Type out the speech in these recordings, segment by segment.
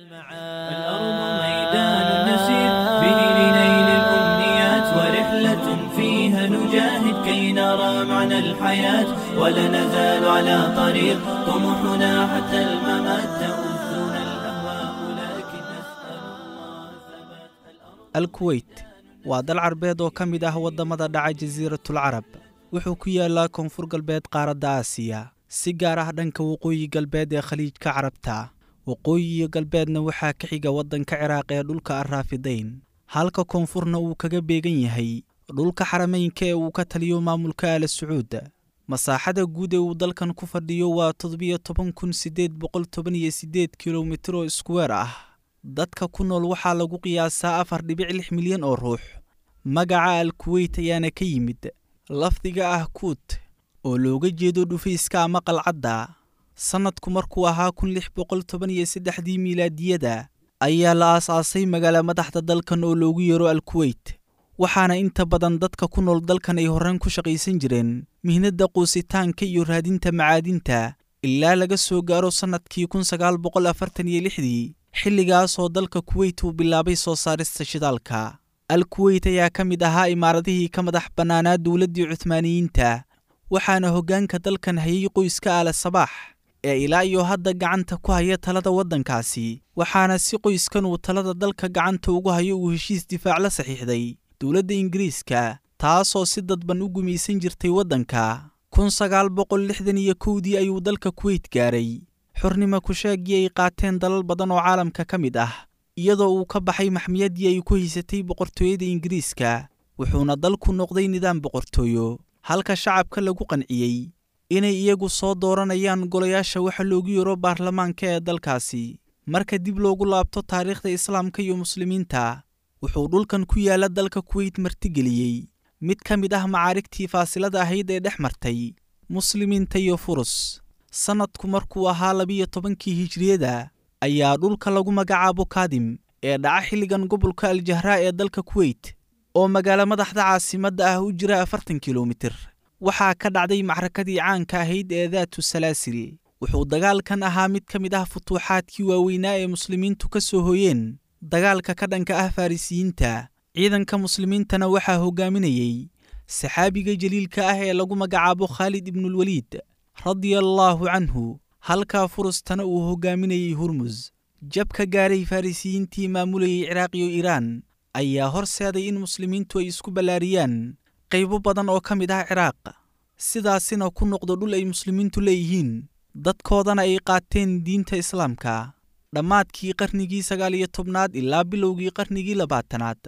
الأرض ميدان نسير به لنيل الأمنيات، ورحلة فيها نجاهد كي نرى معنى الحياة، ولا نزال على طريق طموحنا حتى الممات، تؤذنا الأهواء لكن نسأل الله الثبات. Alkuweyt waa dal Carbeed oo ka mid ah waddamada dhaca Jasiiratul Carab. Wuxuu ku yaalaa koonfur galbeed qaaradda Aasiya, si gaar ah dhanka waqooyi galbeed ee Khaliijka Carabta. Waqooyi iyo galbeedna waxaa ka xiga waddanka Ciraaq ee dhulka Arraafidayn, halka koonfurna uu kaga beegan yahay dhulka Xarameynka ee uu ka taliyo maamulka Aala Sacuud. Masaaxada guud ee uu dalkan ku fadhiyo waa 17,818 kilomitir oo iskuweer ah. Dadka ku nool waxaa lagu qiyaasaa 4.6 milyan oo ruux. Magaca Al Kuweyt ayaana ka yimid lafdiga ah "kuut", oo looga jeedo dhufayska ama qalcadda. Sannadku markuu ahaa 1613-dii miilaadiyada ayaa la aasaasay magaala madaxda dalkan oo loogu yeero Al Kuweyt, waxaana inta badan dadka ku nool dalkan ay horaan ku shaqaysan jireen mihnadda quusitaanka iyo raadinta macaadinta, ilaa laga soo gaaro sannadkii 1946-dii, xilligaasoo dalka Kuweyt uu bilaabay soo saarista shidaalka. Al Kuweyt ayaa ka mid ahaa imaaradihii ka madax bannaanaa dowladdii Cuhmaaniyiinta, waxaana hoggaanka dalkan hayay qoyska Aala Sabaax ee ilaa iyo hadda gacanta ku haya talada waddankaasi, waxaana si qoyskan uu talada dalka gacanta ugu hayo uu heshiis difaac la saxiixday dowladda Ingiriiska, taasoo si dadban u gumaysan jirtay waddanka. 1961-dii ayuu dalka Kuweyt gaaray xornimo kusheegii ay qaateen dalal badan oo caalamka ka mid ah, iyadoo uu ka baxay maxmiyaddii ay ku haysatay boqortooyada Ingiriiska, wuxuuna dalku noqday nidaam boqortooyo, halka shacabka lagu qanciyey inay iyagu soo dooranayaan golayaasha waxa loogu yeero baarlamaanka ee dalkaasi. Marka dib loogu laabto taariikhda Islaamka iyo Muslimiinta, wuxuu dhulkan ku yaala dalka Kuweyt martigeliyey mid ka mid ah macaarigtii faasilada ahayd ee dhex martay Muslimiinta iyo Furus. Sannadku markuu ahaa 12-kii hijriyada ayaa dhulka lagu magacaabo Kaadim ee dhaca xilligan gobolka Aljahraa ee dalka Kuweyt, oo magaalo madaxda caasimadda ah u jira 40 kilomitir, waxaa ka dhacday macrakadii caanka ahayd ee Daatu Salaasil. Wuxuu dagaalkan ahaa mid ka mid ah futuuxaadkii waaweynaa ee Muslimiintu ka soo hooyeen dagaalka ka dhanka ah Farrisiyiinta. Ciidanka Muslimiintana waxaa hogaaminayey saxaabiga jaliilka ah ee lagu magacaabo Khaalid Ibnulwaliid, radia allaahu canhu, halkaa Furustana uu hogaaminayey Hurmus. Jabka gaaray Farrisiyiintii maamulayay Ciraaq iyo Iiraan ayaa horseeday in Muslimiintu ay isku ballaariyaan qaybo badan oo ka mid ah Ciraaq, sidaasina ku noqdo dhul ay Muslimiintu leeyihiin, dadkoodana ay qaateen diinta Islaamka. Dhammaadkii qarnigii 19aad ilaa bilowgii qarnigii 20aad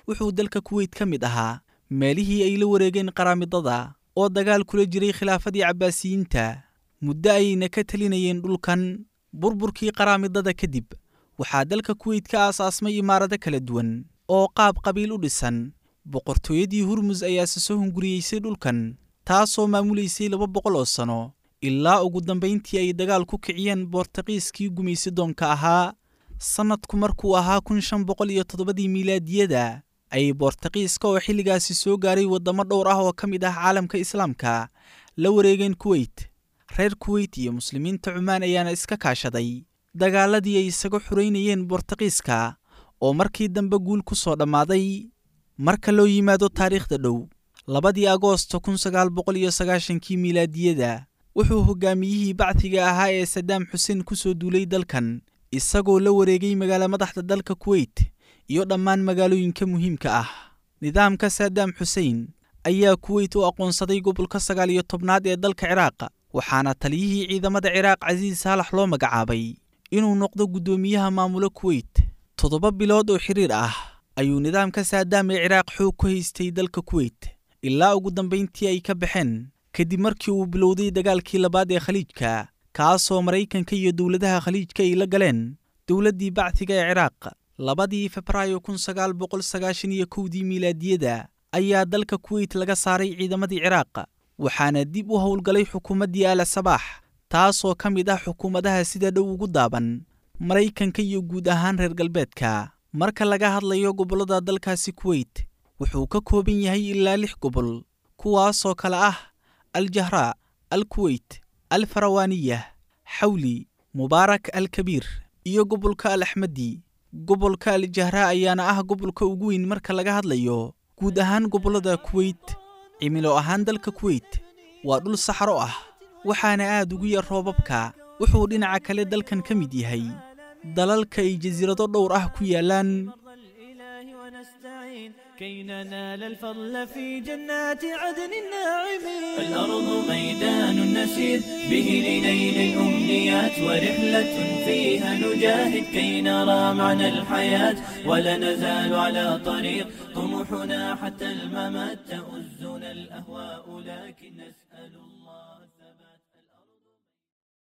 wuxuu dalka Kuweyt ka mid ahaa meelihii ay la wareegeen Qaraamidada oo dagaal kula jiray khilaafadii Cabbaasiyiinta, muddo ayayna ka talinayeen dhulkan. Burburkii Qaraamidada kadib waxaa dalka Kuweyt ka aasaasmay imaarado kala duwan oo qaab qabiil u dhisan. Boqortooyadii Hurmus ayaase soo hunguriyeysay dhulkan, taasoo maamulaysay 200 oo sano, ilaa ugu dambayntii ay dagaal ku kiciyeen Boortaqiiskii gumaysi doonka ahaa. Sannadku markuu ahaa 1507-dii miilaadiyada ayay Boortaqiiska, oo xilligaasi soo gaaray waddamo dhowr ah oo ka mid ah caalamka Islaamka, la wareegeen Kuweyt. Reer Kuweyt iyo Muslimiinta Cumaan ayaana iska kaashaday dagaaladii ay isaga xureynayeen Boortaqiiska, oo markii dambe guul ku soo dhammaaday. Marka loo yimaado taariikhda dhow, 2-dii Agoosto 1990-kii miilaadiyada wuxuu hogaamiyihii Bacdiga ahaa ee Sadaam Xuseen ku soo duulay dalkan, isagoo la wareegay magaalo madaxda dalka Kuweyt iyo dhammaan magaalooyinka muhiimka ah. Nidaamka Saadaam Xuseen ayaa Kuweyt u aqoonsaday gobolka 19aad ee dalka Ciraaq, waxaana taliyihii ciidamada Ciraaq Casiis Saalax loo magacaabay inuu noqdo guddoomiyaha maamulo Kuweyt. 7 bilood oo xiriir ah ayuu nidaamka Saadaam ee Ciraaq xoog ku haystay dalka Kuweyt, ilaa ugu dambayntii ay ka baxeen kadib markii uu bilowday dagaalkii labaad ee Khaliijka, kaasoo Maraykanka iyo dowladaha Khaliijka ay la galeen dowladdii Bacdiga ee Ciraaq. 2-dii Febraayo 1991-dii miilaadiyada ayaa dalka Kuweyt laga saaray ciidamadii Ciraaq, waxaana dib u howlgalay xukuumaddii Aala Sabaax, taasoo ka mid ah xukuumadaha sida dhow ugu daaban Maraykanka iyo guud ahaan reer galbeedka. Marka laga hadlayo gobollada dalkaasi Kuweyt, wuxuu ka kooban yahay ilaa lix gobol, kuwaasoo kale ah Aljahraa, Alkuweyt, Alfarawaaniya, Xawli, Mubaarak Alkabiir. iyo gobolka Al Axmadi. Gobolka Al Jahraa ayaana ah gobolka ugu weyn marka laga hadlayo guud ahaan gobollada Kuweyt. Cimilo ahaan dalka Kuweyt waa dhul saxaro ah, waxaana aad ugu yar roobabka. Wuxuu dhinaca kale dalkan ka mid yahay dalalka ay jasiirado dhowr ah ku yaalaan. ونستعين كي ننال الفضل في جنات عدن الناعمين. الأرض ميدان نسير به لنيل الأمنيات، ورحلة فيها نجاهد كي نرى معنى الحياة، ولا نزال على طريق طموحنا حتى الممات، تؤزنا الأهواء لكن نسأل الله.